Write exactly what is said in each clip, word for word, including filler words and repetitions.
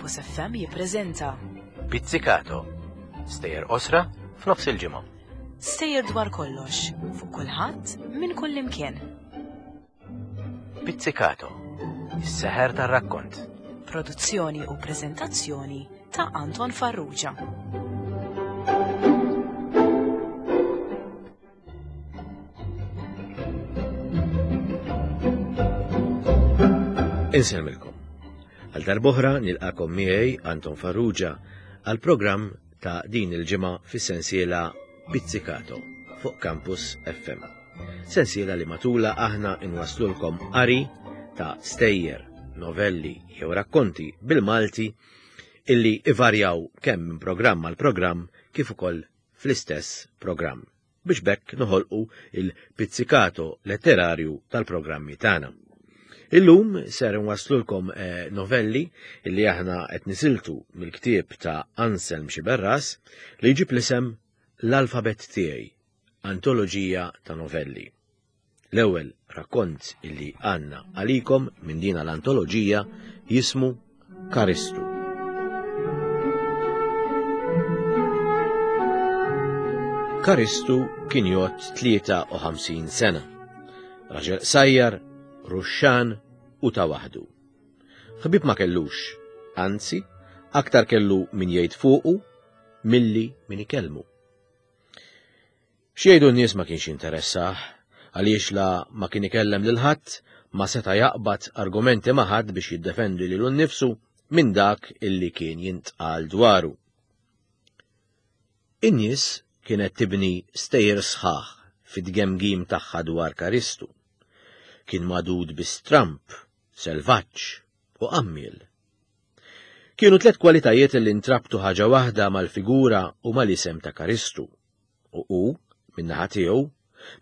Campus F M jippreżenta Pizzicato, stejjer qosra f'nofs il-ġimgħa. Stejjer dwar kollox, fuq kulħadd minn kull imkien. Pizzicato, is-seħer tar-rakkont. Produzzjoni u preżentazzjoni ta' Anton Farrugia. Insellmilkom. Għal darb'oħra nilqakom miegħi Anton Farrugia għal programm ta' din il-ġimgħa fis-sensiela Pizzicato fuq Campus F M. Sensiela li matula aħna inwaslulkom qari ta' stejjer, novelli jew rakkonti bil-Malti illi ivarjaw kemm minn programm għal programm kif ukoll fl-istess programm biex bekk noħolqu il-pizzicato letterarju tal-programmi tagħna. Illum ser nwaslulkom, eh, novelli illi aħna qed nisiltu mill-ktieb ta' Anselm Sciberras li jġib l-isem L-Alfabet Tiegħi, antoloġija ta' novelli. L-ewwel rakkont illi għandna għalikom minn din l-antoloġija jismu Karistu. Karistu kien jgħodd tlieta u ħamsin sena. Raġel qsajjar, ruxxan u ta' waħdu. Ħbieb ma kellux, anzi, aktar kellu min jgħid fuqu milli min ikellmu. X'jgħidu n-nies ma kienx interessah, għaliex la ma kien ikellem lil ħadd, ma seta' jaqbad argumenti ma' ħadd biex jiddefendi lilu nnifsu minn dak illi kien jintqal dwaru. In-nies kienet tibni stejjer sħaħ fit-tgemgim tagħha dwar Karistu. Kien madud bi stramp, selvaġġ u qammiel. Kienu tliet kwalitajiet li ntrabtu ħaġa waħda mal-figura u mal-isem ta' Karistu. U hu, min-naħa tiegħu,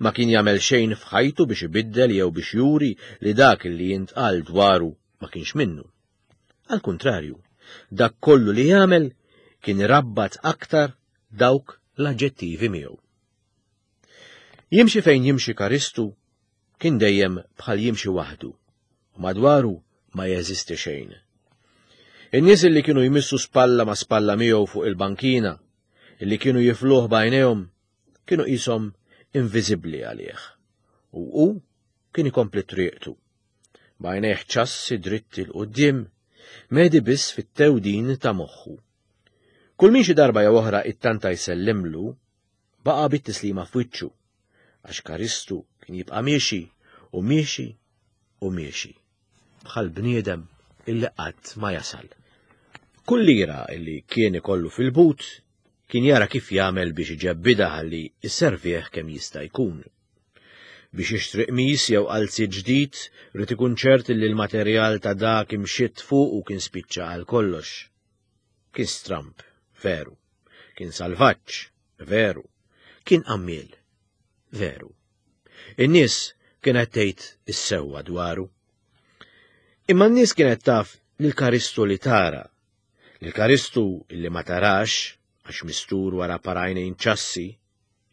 ma kien jagħmel xejn f'ħajtu biex ibiddel jew biex juri li dak li jintqal dwaru ma kienx minnu. Għal kuntrarju, dak kollu li jagħmel kien irabbat aktar dawk l-aġġettivi miegħu. Jimxi fejn jimxi Karistu kien dejjem bħal jimxi waħdu, u madwaru ma jeżisti xejn. In-nies li kienu jmissu spalla ma' spalla miegħu fuq il-bankina, illi kienu jifluh b'għajnejhom, kienu qishom inviżibbli għalih. U hu kien ikompli triqtu. B'għajnejh ċassi dritti 'l quddiem, medi biss fit-tewdin ta' moħħu. Kull min xi darba jew oħra ittanta jsellimlu, baqa' bit-tislima f'wiċċu, għax Karistu kien jibqa' miexi u miexi u miexi, bħal bniedem illi qatt ma jasal. Kull lira illi kien ikollu fil-but kien jara kif jagħmel biex iġebbidha ħalli isservih kemm jista' jkun. Biex jixtri qmis jew qalzi ġdid, rid ikun ċert li l-materjal ta' dak imxitt fuq u kien spiċċa għal kollox. Kien stramp, veru. Kien salvaġġ, veru. Kien qammiel, veru. In-nies kienet tgħid is-sewwa dwaru. Imma n-nies kienet taf lil Karistu li tara, lil Karistu li ma tarax għax mistur wara parajnejn ċassi,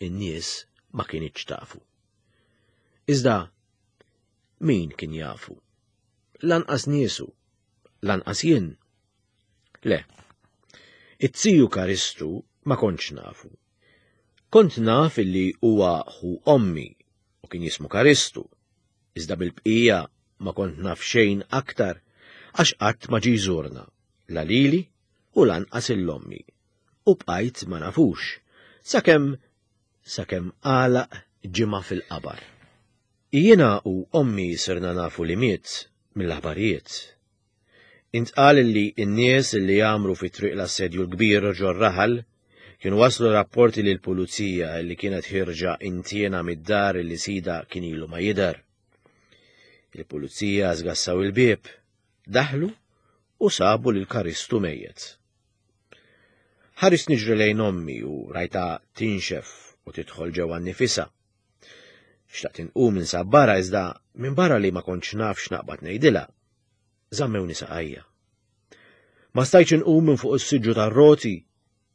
in-nies ma kienitx tafu. Iżda min kien jafu? Lanqas niesu, lanqas jien. Le, it-tiju Karistu ma kontx nafu. Kont naf illi huwa ħu ommi u kien jismu Karistu, iżda bil-bqija ma kont naf xejn aktar għax qatt ma ġie jżurna, la lili u lanqas il-ommi. U bqajt ma nafux, sakemm, sakemm għalaq ġimgħa fil-qabar. Jiena u ommi sirna nafu li miet mill-aħbarijiet. Intqal li n-nies li jagħmlu fi triq l-assedju l-kbir ġor-raħal kienu waslu rapporti lil pulizija li kienet ħirġa intiena mid-dar li sida kien ilu ma jidher. Il-pulizija żgassaw il-bieb, daħlu u sabu lil Karistu mejjet. Ħares niġri lejn ommi u rajta tinxef u tidħol ġewwa nnifisha. Xtaqt inqum insabbara iżda minn barra li ma kontx naf x'naqbad ngħidilha, żammewni saqajja. Ma stajtx inqum minn fuq is-siġġu tar-roti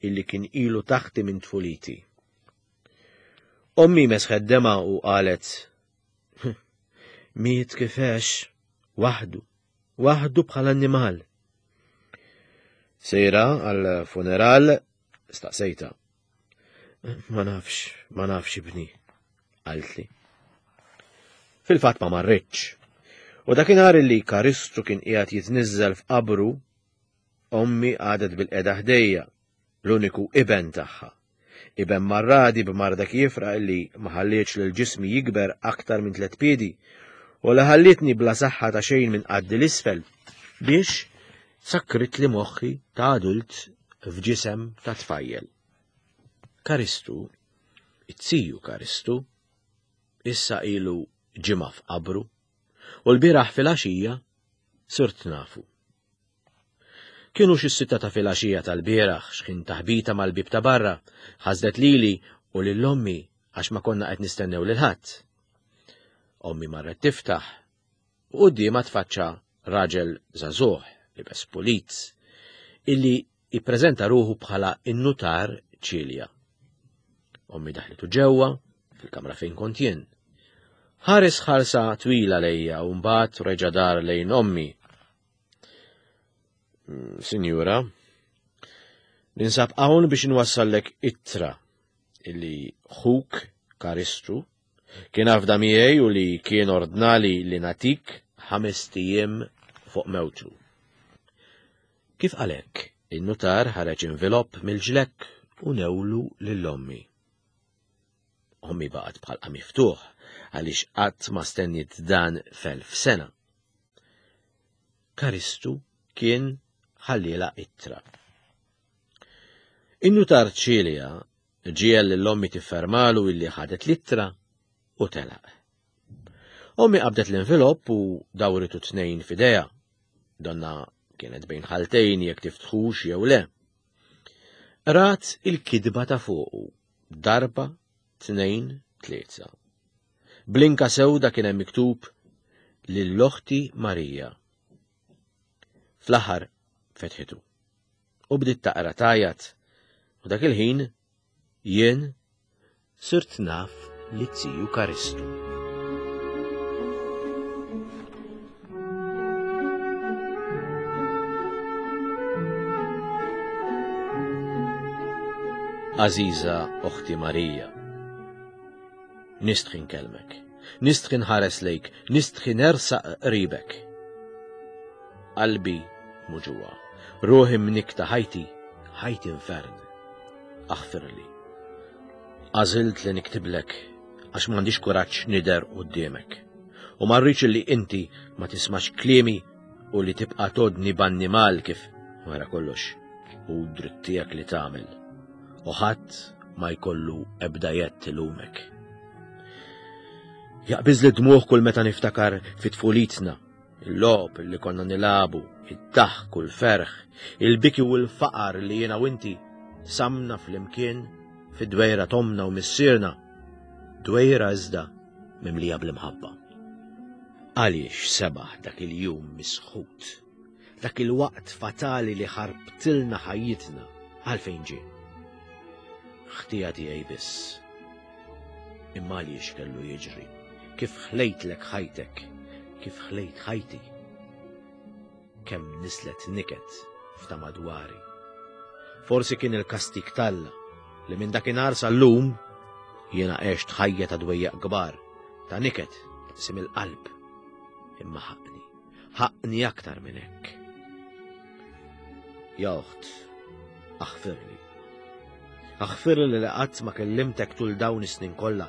illi kien ilu taħti minn tfuliti. Ommi mesħet dema u qalet, Miet kif għex, waħdu, waħdu bħal annimal. Sejra għal-funeral staqsejta. Ma nafx, ma nafx ibni, qaltli. Fil-fatt ma marritx. U dakinhar li Karistu kien qiegħed jitniżżel f'qabru, ommi għadet bil-qeda ħdejja, l-uniku iben tagħha. Iben marradi b'marda kiefra illi ma ħallietx lil ġismi jikber aktar minn tliet piedi u li ħallietni bla saħħa ta' xejn minn qaddi l-isfel biex sakkrit li moħħi ta' adult f'ġisem ta' tfajjel. Karistu, it-siju Karistu, issa ilu ġimgħa f'qabru u l-bieraħ filgħaxija sirt nafu. Kienu xi sitta ta' filgħaxija tal-bieraħ x'ħin taħbita mal-bib ta' barra, ħasdet lili u lil ommi għax ma konna qed nistennew lil ħadd. Ommi marret tiftaħ u quddiemha tfaċċa raġel żagħżugħ libes pulit illi jippreżenta ruħu bħala in-nutar Ċilja. Ommi daħlitu ġewwa fil-kamra fejn kont jien. Ħares ħarsa twila lejja u mbagħad reġa' dar lejn ommi. Sinjura, ninsab hawn biex inwassallek ittra illi ħuk Karistu kien afda miegħi u li kien ordnali li natik ħames ijiem fuq mewtu. Kif qalek, in-nutar ħareġ invilopp mill-ġlekk u newlu lil ommi. Ommi baqgħet bħalqa miftuħ għaliex qatt ma stenniet dan f'elf sena. Karistu kien ħalliela ittra. In-nutar Ċilja ġiel lil ommi tiffermalu illi ħadet l-ittra u telaq. Ommi qabdet l-envelopp u dawritu tnejn f'idejha. Donna kienet bejn ħaltejn jekk tiftħux jew le. Rat il-kidba ta' fuqu, darba, tnejn, tlieta. Blinka sewda kien hemm miktub lil oħti Marija. Fl-aħħar fetħitu. U bdiet taqra tajat. U dak il-ħin jien sirt naf li tiju Karistu. Għażiża oħti Marija, nistħi nkellmek, nistħi nħares lejk, nistħi nersaq qribek. Qalbi muġuwa, ruħi mnikta ħajti, ħajti infern. Aħfirli. Għażilt li niktiblek għax m'għandix kuraġġ nidher quddiemek. U ma rridx li inti ma tismax kliemi u li tibqa' todni b'annimal kif wara kollox u dritt tiegħek li tagħmel. U ħadd ma jkollu ebda jett ilumek. Jaqbiż li dmuħ kull meta niftakar fit tfulitna, il-logħob li konna nilabu, id-daħk u l-ferħ, il-biki u l-faqar li jiena u inti samna fl-imkien fid-dwejra tomna u missierna, dwejra iżda mimlija bl-imħabba. Għaliex sebaħ dak il-jum misħut, dak il-waqt fatali li ħarbtilna ħajjitna, għalfejn ġie? Ħtija tiegħi biss. Imma għaliex kellu jiġri? Kif ħlejtlek ħajtek? Kif ħlejt ħajti? Kemm nislet niket f'ta' madwari. Forsi kien il-kastik t'Alla li minn dakinhar sal-lum jiena għext ħajja ta' dwejjaq kbar, ta' niket, sim il-qalb. Imma ħaqni, ħaqni aktar minn hekk. Ja oħt, aħfirli. Aħfirli li qatt ma kellimtek tul dawn is-snin kollha.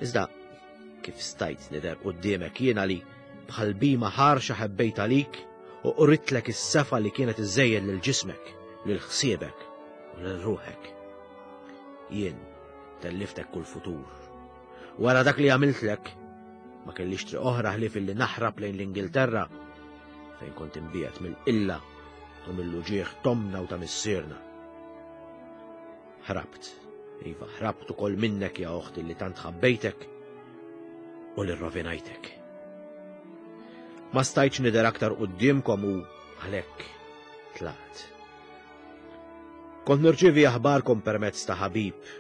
Iżda kif stajt nidher quddiemek jiena li bħal bima ħarxa ħebbejt għalik u qritlek is-sefa li kienet iżejjed lil ġismek, lil ħsiebek u lil ruħek. Jien telliftek kull futur. Wara dak li għamiltlek, ma kellix triq oħra ħlief illi naħrab lejn l-Ingilterra fejn kont imbiegħed mill-qilla u mill-uġieħ tomna u ta' missierna. Ħrabt, iva, ħrabt ukoll minnek ja oħti li tant ħabbejtek u li rrovinajtek. Ma stajtx nidher aktar quddiemkom u għalhekk tlaqt. Kont nirċievi aħbarkom permezz ta' ħabib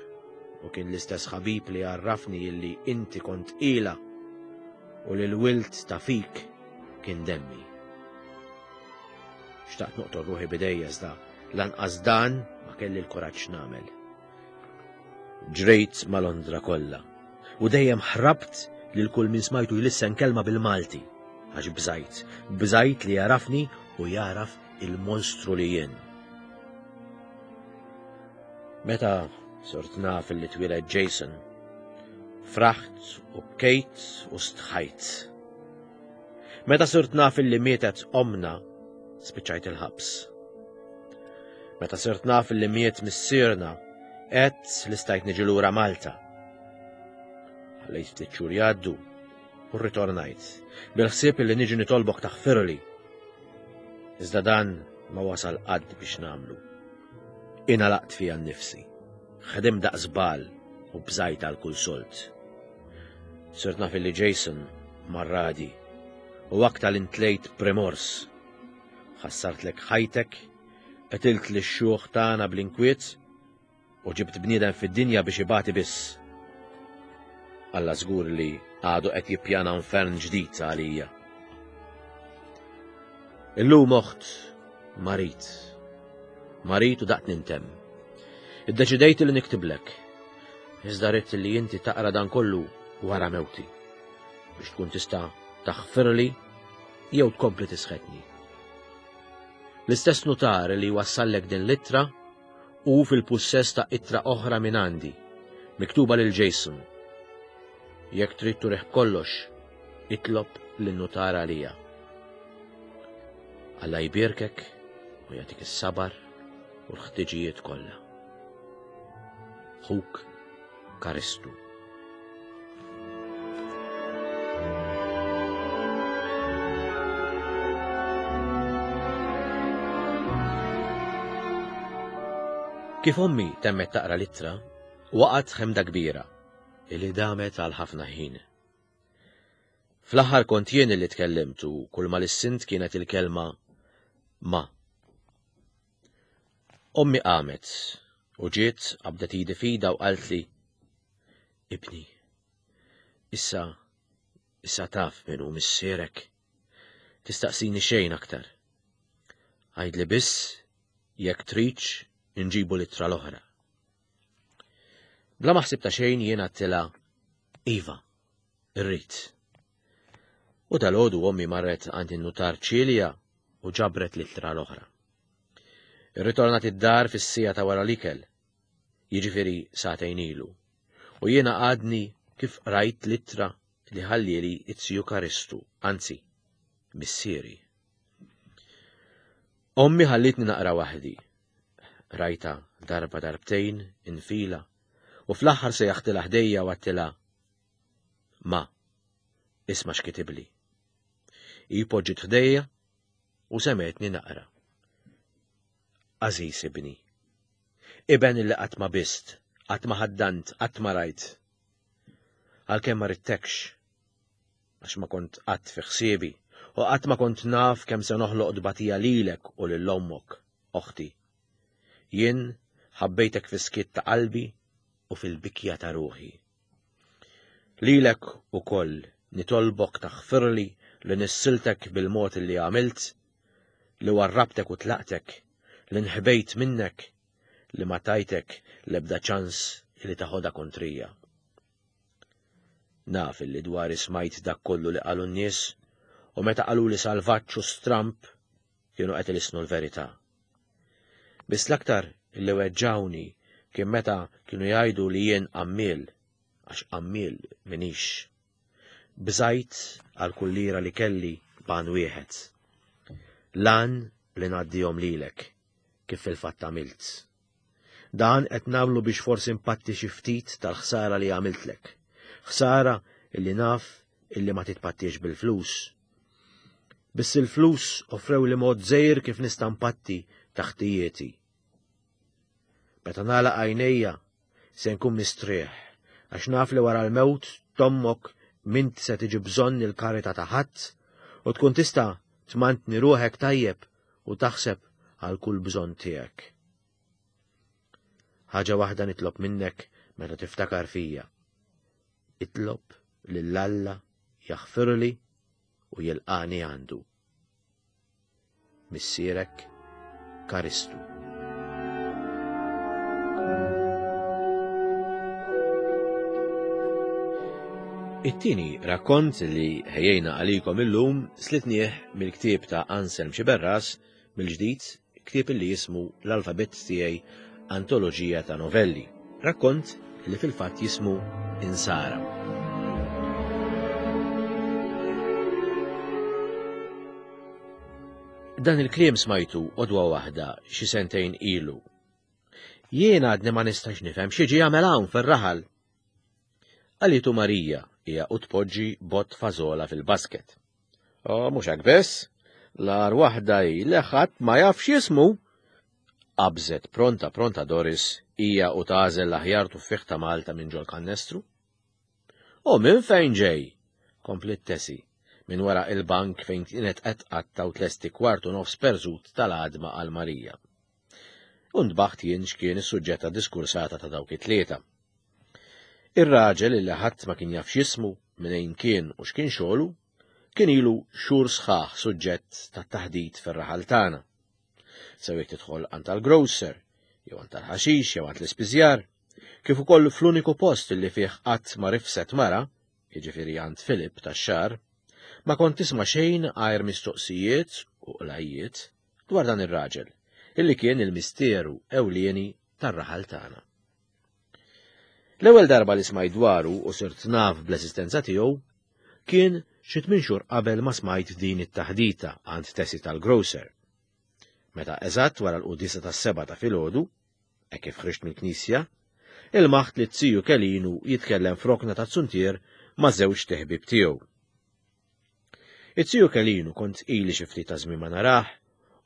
u kien l-istess ħabib li għarrafni illi inti kont ila u li l-wilt ta' fik kien demmi. Xtaqt noqtol ruħi bidejja iżda Lanqas dan ma kelli l-kuraġġ nagħmel. Ġrejt ma' Londra kollha u dejjem ħrabt lil kull min smajtu jlissen kelma bil-Malti għax bżajt, bżajt li jarafni u jaraf il-monstru li jien. Meta sort naf li twieled Jason, fraħt u bkejt u stħajt. Meta sirt naf li mietet omna, spiċċajt il-ħabs. Meta sirt naf li miet missierna, għedt li stajt niġi lura Malta. Ħallejt ftit xhur jgħaddu u rritornajt, bil-ħsieb li niġi nitolbok taħfirli. Iżda dan ma wasal qatt biex nagħmlu. Ingħalaqt fija nnifsi, ħdimt daqs żball u bżajt għal kull sold. Sirt naf li Jason marradi u aktar intlejt b'rimors. Ħassartlek ħajtek, qtilt lix-xjuħ tagħna bl-inkwiet u ġibt bniedem fid-dinja biex ibati biss. Alla żgur li għadu qed jippjana infern ġdid għalija. Illum oħt marid. Marid u daqt nintemm. Iddeċidejt li niktiblek. Iżda ridt li inti taqra dan kollu wara mewti biex tkun tista' taħfirli jew tkompli tisħetni. L-istess nutar li wassallek din l-ittra hu fil-pussess ta' ittra oħra minn għandi, miktuba lil Jason. Jekk trid turih kollox, itlob lin-nutar għalija. Alla jbierkek u jagħtik is-sabar u l-ħtiġijiet kollha. Ħuk Karistu. Kif ommi temmet taqra l-ittra, waqgħet ħemda kbira illi damet għal ħafna ħin. Fl-aħħar kont jien li tkellimt u kull ma lissint kienet il-kelma ma. Ommi qamet u ġiet qabdet idi f'idha u qaltli, Ibni, issa, issa taf min hu missierek. Tistaqsini xejn aktar. Għidli biss jekk tridx inġibu l-ittra l-oħra. Bla ma ħsibta xejn jien għedtilha, Iva, irrid. U dalgħodu ommi marret għand in-nutar Ċilja u ġabret l-ittra l-oħra. Irritornat id-dar fis-siegħa ta' wara l-ikel, jiġifieri sagħtejn ilu, u jiena għadni kif qrajt l-ittra li ħallieli it-ziju Karistu, anzi, missieri. Ommi ħallitni naqra waħdi. Rajta darba darbtejn infila u fl-aħħar sejjaħtilha ħdejja u għedtilha, Ma, isma' x'kitibli. Hi poġġiet ħdejja u semgħetni naqra. Għażiż ibni, iben illi qatt ma bist, qatt ma ħaddant, qatt ma rajt. Għalkemm ma ridtekx, għax ma kont qatt fi ħsiebi u qatt ma kont naf kemm se noħloq tbatija lilek u lil ommok, oħti. Jien ħabbejtek fis-skiet ta' qalbi u fil-bikja ta' ruħi. Lilek ukoll nitolbok taħfirli li nissiltek bil-mod li għamilt, li warrabtek u tlaqtek, li nħbejt minnek, li ma tajtek l-ebda ċans li taħodha kontrija. Naf li dwari smajt dak kollu li qalu n-nies u meta qalu li salvaġġ u stramp kienu qed ilisnu l-verità. Biss l-aktar li weġġawni kien meta kienu jgħidu li jien qammiel, għax qammiel minix. Bżajt għal kull lira li kelli b'għan wieħed. Lan li ngħaddihom lilek, kif fil-fatt għamilt. Dan qed nagħmlu biex forsi npatti xi ftit tal-ħsara li għamiltlek. Ħsara illi naf illi ma titpattiex bil-flus. Biss il-flus offrew li mod żgħir kif nista' npatti taħtijieti. Meta nagħlaq għajnejja se nkun mistrieħ, għax naf li wara l-mewt t'ommok m'int se tiġi bżonn il-karità ta' ħadd u tkun tista' tmantni ruħek tajjeb u taħseb għal kull bżonn tiegħek. Ħaġa waħda nitlob minnek meta tiftakar fija. Itlob lil Alla jaħfirli u jilqani għandu. Missierek Karistu. It-tieni rakkont li ħejjejna għalikom illum slitnieh mill-ktieb ta' Anselm Sciberras mill-ġdid, ktieb li jismu L-Alfabett Tiegħi, Antoloġija ta' Novelli. Rakkont li fil-fatt jismu Insara. Dan il-kliem smajtu għodwa waħda xi sentejn ilu. Jien għadni ma nistax nifhem xi ġie jagħmel hawn fir-raħal. Qalitu Marija hija u tpoġġi bott fażola fil-basket. O, mhux hekk biss, l-agħar waħda hi li ħadd ma jaf x'jismu. Qabżet pronta pronta Doris hija u tagħżel l-aħjar tuffieħ ta' Malta minn ġol kannestru. U minn fejn ġej? Kompliet Tessie, minn wara il-bank fejn kienet qed tqatta' u tlesti kwartu nofs perżut tal-għadma għal Marija. U ntbaħt jien x'kien is-suġġett ta' diskursata ta' dawk it-tlieta. Ir-raġel li ħadd ma kien jaf x'jismu, minn kien u x'kien xogħlu, kien ilu xhur sħaħ suġġett ta' taħdit fir-raħal tagħna. Sew jekk tidħol għand tal-grocer, jew għand tal-ħaxix, jew għand l-ispiżjar, kif ukoll fl-uniku post li fih qatt ma rifset mara, jiġifieri għand Filip tax-xagħar, ma kont tisma' xejn għajr mistoqsijiet u qlajjiet dwar dan ir-raġel, illi kien il-misteru ewlieni tar-raħal tagħna. L-ewwel darba li smajt dwaru u sirt naf bl-eżistenza tiegħu kien xi tmien xhur qabel ma smajt din it-taħdita għand Tessie tal-grocer. Meta eżatt wara l-quddiesa tas-sebgħa ta' filgħodu, hekk kif ħriġt mill-knisja, ilmaħt li t-tiju Kelinu jitkellem f'rokna ta' zuntier ma' żewġ teħbib tiegħu. It-tiju Kelinu kont ili xi ftit ta' żmien ma narah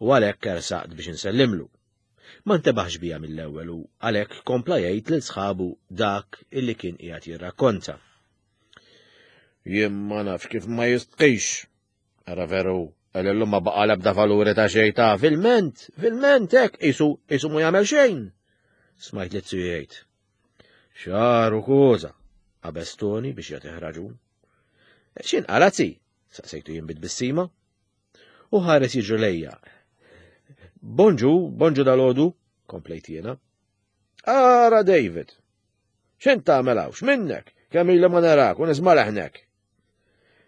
u għalhekk ersaqt biex insellimlu. Ma ntebaħx bija mill-ewwel u għalhekk kompla jgħid lil sħabu dak illi kien qiegħed jirrakkonta. Jien ma nafx kif ma jistqix. Ara veru, illum ma baqa' l-ebda valuri ta' xejn ta' filment, filment hekk qisu qisu mu jagħmel xejn. Smajt li t-tiju jgħid. Xaru koża, qabeż Toni biex jagħtih raġun. X'in qalazzi? Saqsejtu jien bit-tbissima. U ħares jiġri lejja. Bonġu, bonġu dal-għodu, komplejt jiena. Ara David, x'int tagħmel hawn, x'minnek, kemm ili ma narak u nisma' leħnek.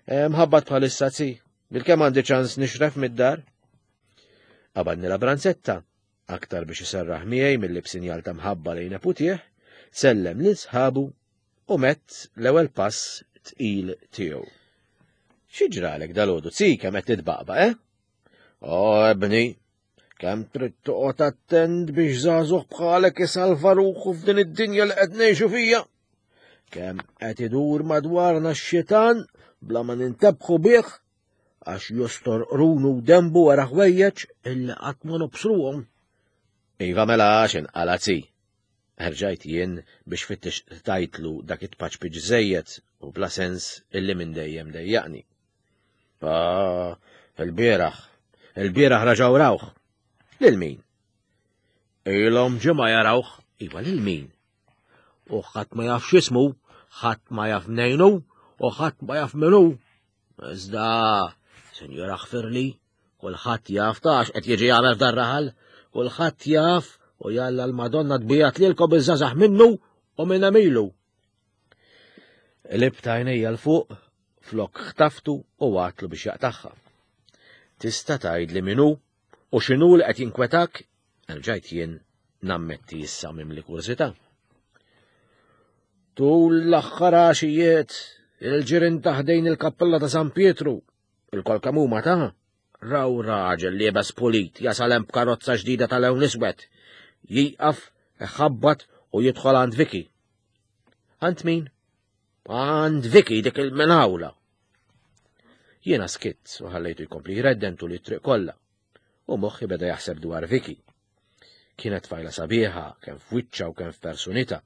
Mħabbat bħalissa zi, bil-kemm għandi ċans nixref mid-dar. Qabadni la branzetta, aktar biex iserraħ miegħi milli b'sinjal ta' mħabba lejn neputih, sellem lil sħabu u mett l-ewwel pass tqil tiegħu. Xi ġralek dal-għodu, zi, kemm qed titbaqbaq, eh? O, ebni, kemm trid toqgħod attent biex żagħżugħ bħalek isalva ruħu f'din id-dinja li qed ngħixu fija. Kemm qed idur madwarna x-xitan bla ma nintebħu bih għax jostor qrunu u dembu wara ħwejjeġ illi qatt ma nobsruhom. Iva mela għax inqala' zi. Erġajt jien biex fittex tajtlu dak it-paċpiċ żejjed u bla sens illi minn dejjem dejjaqni. Ah, il-bieraħ, il-bieraħ raġaw rawh. Lil min? Ilhom ġimgħa jarawh, iva lil min? U ħadd ma jaf x'ismu, ħadd ma jaf mnejnu, u ħadd ma jaf minnu. Iżda, Sinjura ħfirli, kulħadd jaf tax qed jiġi jagħmel f'dan raħal, kulħadd jaf u jalla l-Madonna tbijat lilkom iż-żgħażagħ minnu u minn għemilu. Qlibt għajnejja 'l fuq, flok ħtaftu u għatlu biex jaqtagħha. Tista' tgħidli min hu u x'inhu li qed jinkwetak? Erġajt jien nammetti issa mimli kurżità. Tul l-aħħar għaxijiet, il-ġirien ta' ħdejn il-kappella ta' San Pietru, il-kol kemm huma ta' raw raġel liebes pulit jasal hemm b'karozza ġdida tal-lewn iswed, jieqaf, iħabbat u jidħol għand Vicky. Għand min? Għand Vicky dik il-menawla. Jiena skitt u ħallejtu jkompli jredden tul it-triq kollha. U moħħi beda jaħseb dwar Vicky. Kienet tfajla sabiħa, kemm f'wiċċha u kemm f'personità.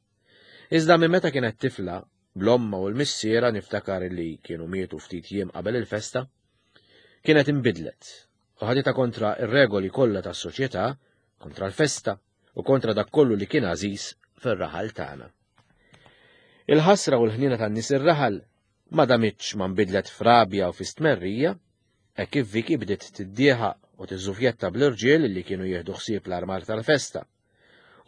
Iżda minn meta kienet tifla, bl-omma u l-missiera niftakar li kienu mietu ftit jiem qabel il-festa, kienet inbidlet u ħaditha kontra ir-regoli kollha tas-soċjetà, kontra l-festa u kontra dak kollu li kien għażiż fir-raħal tagħna. Il-ħasra u l-ħniena tan-nies ir-raħal ma damitx ma nbidlet f'rabja u fi stmerrija, hekk kif Vicky bdiet tiddieħaq u tiżżufjetta bl-irġiel li kienu jieħdu ħsieb l-armar tal-festa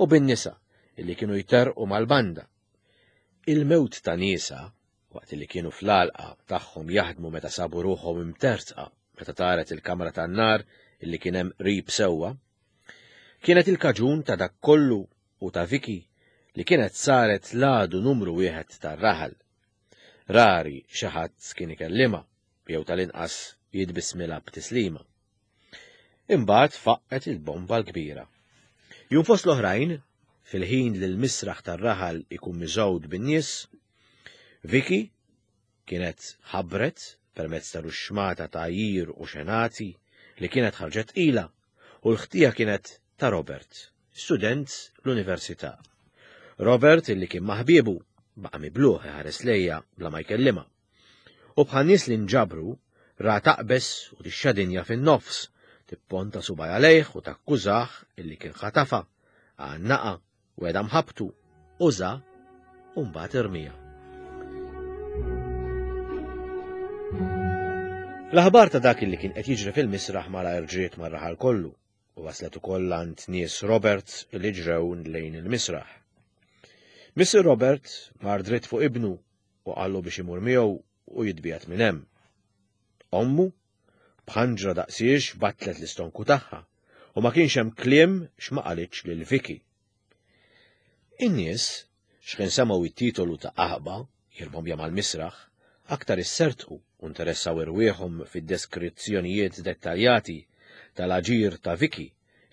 u bin-nisa li kienu jterqu mal-banda. Il-mewt ta' nisa waqt li kienu fl-għalqa tagħhom jaħdmu meta sabu ruħhom imtertqa meta taret il-kamra tan-nar illi kien hemm qrib sewwa, kienet il-kaġun ta' dak kollu u ta' Vicky li kienet saret l-għadu numru wieħed tar-raħal. Rari xi ħadd kien ikellimha jew tal-inqas jitbismilha b'tislima. Imbagħad faqqet il-bomba l-kbira. Jum fost l-oħrajn, fil-ħin li l-misraħ tar-raħal ikun miżgħud bin-nies, Vicky kienet ħabbret permezz ta' ruxxmata ta' għajjir u xenati li kienet ħarġet tqila u l-ħtija kienet ta' Robert, student l-università. Robert illi kien ma' ħbiebu baqa' mibluh iħares lejha bla ma jkellimha. U bħan-nies li nġabru ra taqbeż u tixxa dinja fin-nofs, tipponta subgħajha lejh u takkużah illi kien ħatafa, għannaqa, wegħedha mħabbtu, uża u mbagħad irmiha. L-aħbar ta' dak li kien qed jiġri fil-misraħ malajr ġriet mar-raħal kollu u waslet ukoll għand nies Robert li ġrew lejn il-misraħ. Missier Robert mar dritt fuq ibnu u qallu biex imur miegħu u jitbiegħed minn hemm. Ommu b'ħanġra daqsiex battlet l-istonku tagħha u ma kienx hemm kliem x'ma qalitx lil Vicky. In-nies x'kien semgħu it-titolu ta' qaħba jirbombja mal-misraħ aktar issertqu u interessaw irwieħhom fid-deskrizzjonijiet dettaljati tal-aġir ta' Vicky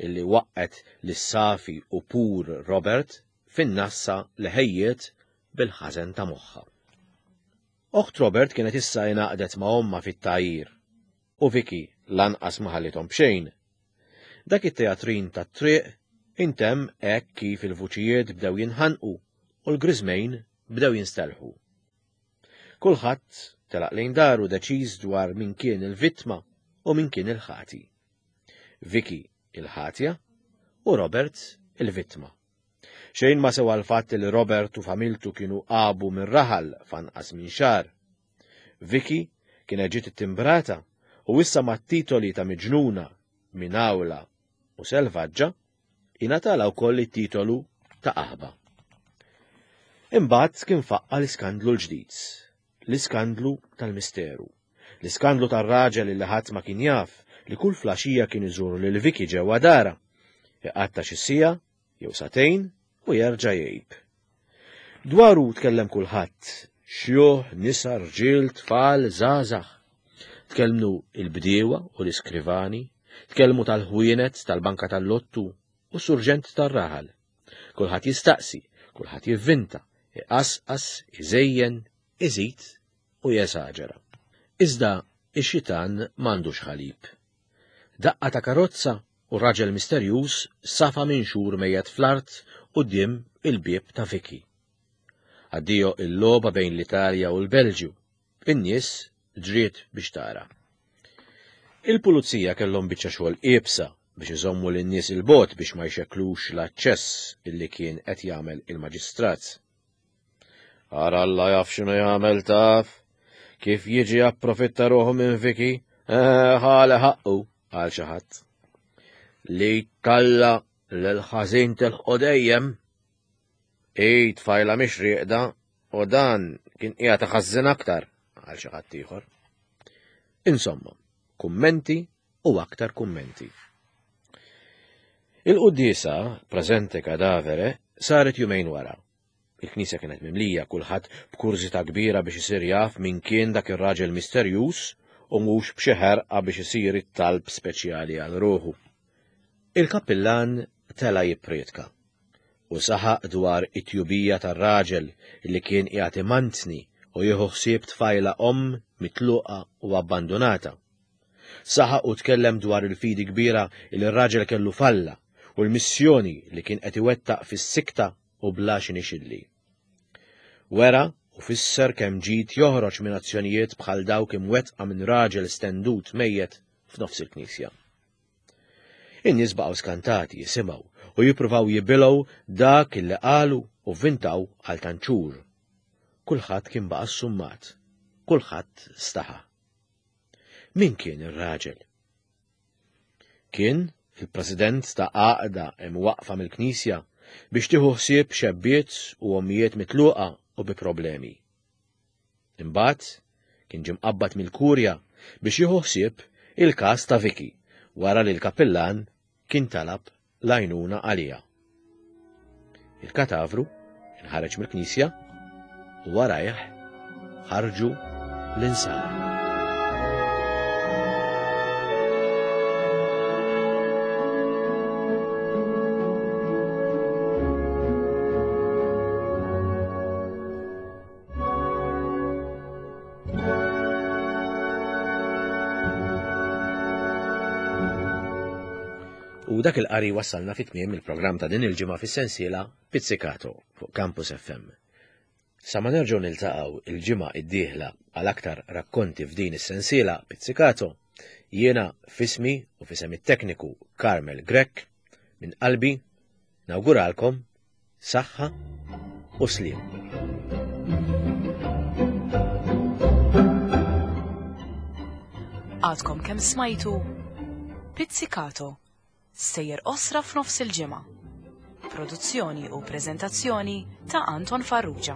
illi waqqet lis-safi u pur Robert fin-nassa li ħejjiet bil-ħażen ta' moħħha. Oħt Robert kienet issa ingħaqdet ma' ommha fit-tgħajjir u Vicky lanqas ma ħallithom b'xejn. Dak it-teatrin tat-triq intemm hekk kif il-vuċijiet bdew jinħanqu u l-griżmejn bdew jinstelħu. Kulħadd telaq lejn daru deċiż dwar min kien il-vittma u min kien il-ħati. Vicky il-ħatja u Robert il-vittma. Xejn ma sewa l-fatt li Robert u familtu kienu qabu minn raħal f'anqas minn xahar. Vicky kienet ġiet ittimbrata u issa mat-titoli ta' miġnuna, minawla u selvaġġa ingħatalha wkoll it-titolu ta' qaħba. Imbagħad kien faqqa l-iskandlu l-ġdid, l-iskandlu tal-misteru, l-iskandlu tar-raġel li ħadd ma kien jaf li kull flaxija kien iżur lil Vicky ġewwa dara, iqatta' xi siegħa jew sagħtejn u jerġa' jgħib. Dwaru tkellem kulħadd, xjuħ, nisa, rġiel, tfal, żgħażagħ. Tkellmu il-bdiewa u l-iskrivani, tkellmu tal-ħwienet, tal-banka tal-lottu u s-surġent tar-raħal. Kulħadd jistaqsi, kulħadd jivvinta, iqasqas, iżejjen, iżid u jesaġera. Iżda ix-xitan m'għandux ħalib. Daqqa ta' karozza u raġel misterjuż safa minn xhur mejjet fl-art quddiem il-bieb ta' Vicky. Addio il-logħba bejn l-Italja u l-Belġju. In-nies ġriet biex tara. Il-pulizija kellhom biċċa xogħol iebsa biex iżommu lin-nies il-bogħod biex ma jxekklux l-aċċess illi kien qed jagħmel il-maġistrat. Ara Alla jaf x'inhu jagħmel taf, kif jiġi approfitta ruħu minn Vicky, eh, ħale ħaqqu, qal xi ħadd. Li talla l-ħażin tilħqu dejjem. Ej, tfajla mhix rieqda u dan kien qiegħed iħażżen aktar, qal xi ħadd ieħor. Insomma, kummenti u aktar kummenti. Il-quddiesa, preżente kadavere, saret jumejn wara. Il-knisja kienet mimlija, kulħadd b'kurżità kbira biex isir jaf min kien dak ir-raġel misterjuż u mhux b'xi ħerqa biex isir it-talb speċjali għal ruħu. Il-kappillan tela' jippriedka u saħaq dwar it-tjubija tar-raġel li kien qiegħed imantni u jieħu ħsieb tfajla omm mitluqa u abbandunata. Saħaq u tkellem dwar il-fidi kbira li r-raġel kellu f'Alla u l-missjoni li kien qed iwettaq fis-sikta u bla xi nixilli. Wera u fisser kemm ġid joħroġ minn azzjonijiet bħal dawk imwettqa minn raġel stendut mejjet f'nofs il-knisja. In-nies baqgħu skantati jisimgħu u jippruvaw jibilgħu dak illi qalu u vvintaw għal tant xhur. Kulħadd kien baqa' ssummat, kulħadd staħa. Min kien ir-raġel? Kien il-president ta' għaqda imwaqqfa mill-Knisja biex tieħu ħsieb xebbiet u ommijiet mitluqa u bi problemi. Imbagħad kien ġie mqabbad mill-kurja biex jieħu ħsieb il-każ ta' Vicky wara li l-kappillan kien talab l-għajnuna għaliha. Il-katavru inħareġ mill-knisja u warajh ħarġu l-insara. U dak il-qari wassalna fit tmiem il-programm ta' din il-ġimgħa fis-sensiela Pizzicato fuq Campus F M. Sa ma nerġgħu niltaqgħu il-ġimgħa id-dieħla għal aktar rakkonti f'din is-sensiela Pizzicato, jiena f'ismi u f'isem it-tekniku Carmel Grech minn qalbi nawguralkom saħħa u sliem. Għadkom kemm smajtu Pizzicato, sejjer osra f'nofs il-ġimgħa. Produzzjoni u preżentazzjoni ta' Anton Farrugia.